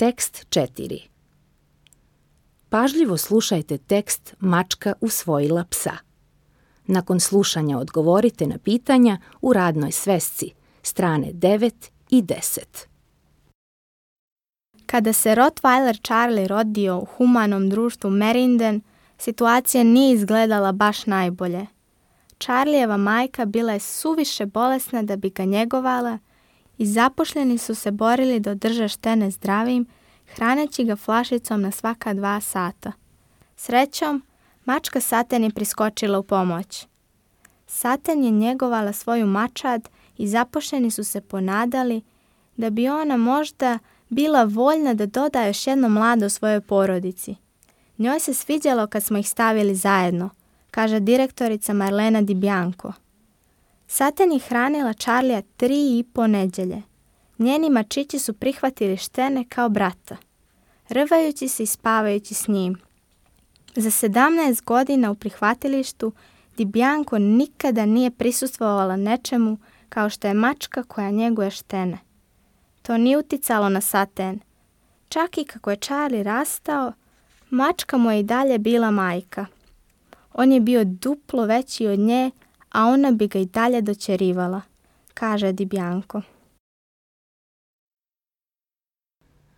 Tekst 4. Pažljivo slušajte tekst Mačka usvojila psa. Nakon slušanja odgovorite na pitanja u radnoj svesci, strane 9 i 10. Kada se Rottweiler Charlie rodio u humanom društvu Merinden, situacija nije izgledala baš najbolje. Charlijeva majka bila je suviše bolesna da bi ga njegovala i zaposleni su se borili da održe Štene zdravim, hraneći ga flašicom na svaka 2 sata. Srećom, mačka Saten je priskočila u pomoć. Saten je njegovala svoju mačad i zaposleni su se ponadali da bi ona možda bila voljna da doda još jedno mlado svojoj porodici. Njoj se sviđalo kad smo ih stavili zajedno, kaže direktorica Marlena Di Bianco. Saten je hranila Charlija 3,5 nedjelje. Njeni mačići su prihvatili Štene kao brata, rvajući se i spavajući s njim. Za 17 godina u prihvatilištu Di Bianco nikada nije prisustvovala nečemu kao što je mačka koja njeguje Štene. To nije uticalo na Saten. Čak i kako je Charlie rastao, mačka mu je i dalje bila majka. On je bio duplo veći od nje, a ona bi ga i dalje dočerivala, kaže Di Bianco.